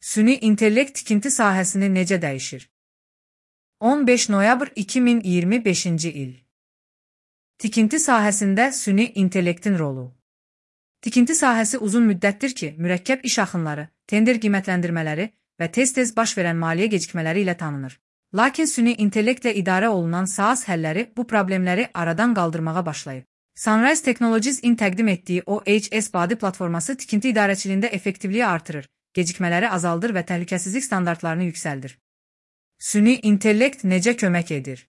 Süni intellekt tikinti sahəsini necə dəyişir? 15 noyabr 2025-ci il. Tikinti sahəsində süni intellektin rolu. Tikinti sahəsi uzun müddətdir ki, mürəkkəb iş axınları, tender qiymətləndirmələri və tez-tez baş verən maliyyə gecikmələri ilə tanınır. Lakin süni intellektlə idarə olunan SaaS həlləri bu problemləri aradan qaldırmağa başlayıb. Sunrise Technologies in təqdim etdiyi OHS Body platforması tikinti idarəçiliyində effektivliyi artırır, gecikmələri azaldır və təhlükəsizlik standartlarını yüksəldir. Süni intellekt necə kömək edir?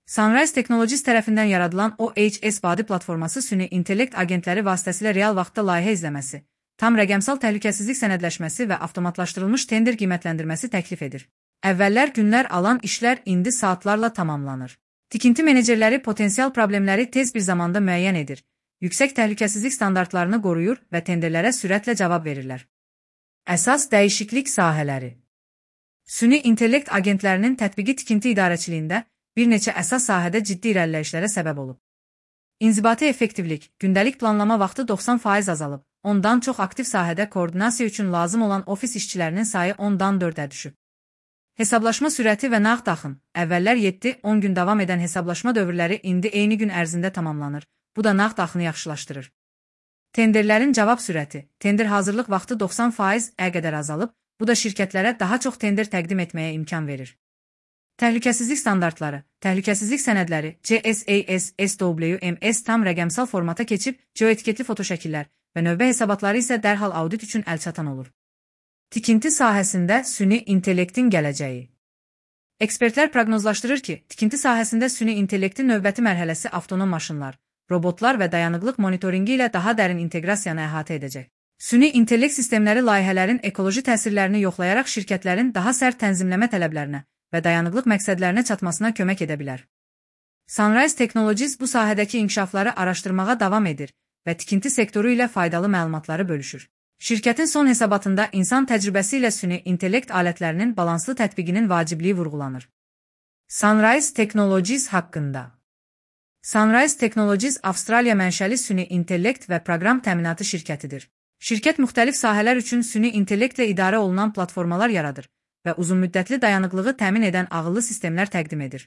Sunrise Technologies tərəfindən yaradılan OHS Body platforması süni intellekt agentləri vasitəsilə real vaxtda layihə izləməsi, tam rəqəmsal təhlükəsizlik sənədləşməsi və avtomatlaşdırılmış tender qiymətləndirməsi təklif edir. Əvvəllər günlər alan işlər indi saatlarla tamamlanır. Tikinti menecerləri potensial problemləri tez bir zamanda müəyyən edir, yüksək təhlükəsizlik standartlarını qoruyur və tenderlərə sürətlə cavab verirlər. Əsas dəyişiklik sahələri. Süni intellekt agentlərinin tətbiqi tikinti idarəçiliyində bir neçə əsas sahədə ciddi irəliləyişlərə səbəb olub. İnzibati effektivlik, gündəlik planlama vaxtı 90% azalıb, ondan çox aktiv sahədə koordinasiya üçün lazım olan ofis işçilərinin sayı 10-dan 4-ə düşüb. Hesablaşma sürəti və nağd axın, əvvəllər 7-10 gün davam edən hesablaşma dövrləri indi eyni gün ərzində tamamlanır, bu da nağd axını yaxşılaşdırır. Tenderlərin cavab sürəti, tender hazırlıq vaxtı 90%-ə qədər azalıb, bu da şirkətlərə daha çox tender təqdim etməyə imkan verir. Təhlükəsizlik standartları, təhlükəsizlik sənədləri, CSAS, SWMS tam rəqəmsal formata keçib, geoetiketli fotoşəkillər və növbə hesabatları isə dərhal audit üçün əlçatan olur. Tikinti sahəsində süni intellektin gələcəyi. Ekspertlər proqnozlaşdırır ki, tikinti sahəsində süni intellektin növbəti mərhələsi avtonom maşınlar, robotlar və dayanıqlıq monitoringi ilə daha dərin inteqrasiyanı əhatə edəcək. Süni intellekt sistemləri layihələrin ekoloji təsirlərini yoxlayaraq şirkətlərin daha sərt tənzimləmə tələblərinə və dayanıqlıq məqsədlərinə çatmasına kömək edə bilər. Sunrise Technologies bu sahədəki inkişafları araşdırmağa davam edir və tikinti sektoru ilə faydalı məlumatları bölüşür. Şirkətin son hesabatında insan təcrübəsi ilə süni intellekt alətlərinin balanslı tətbiqinin vacibliyi vurğulanır. Sunrise Technologies haqqında. Sunrise Technologies Avstraliya mənşəli süni intellekt və proqram təminatı şirkətidir. Şirkət müxtəlif sahələr üçün süni intellektlə idarə olunan platformalar yaradır və uzunmüddətli dayanıqlığı təmin edən ağıllı sistemlər təqdim edir.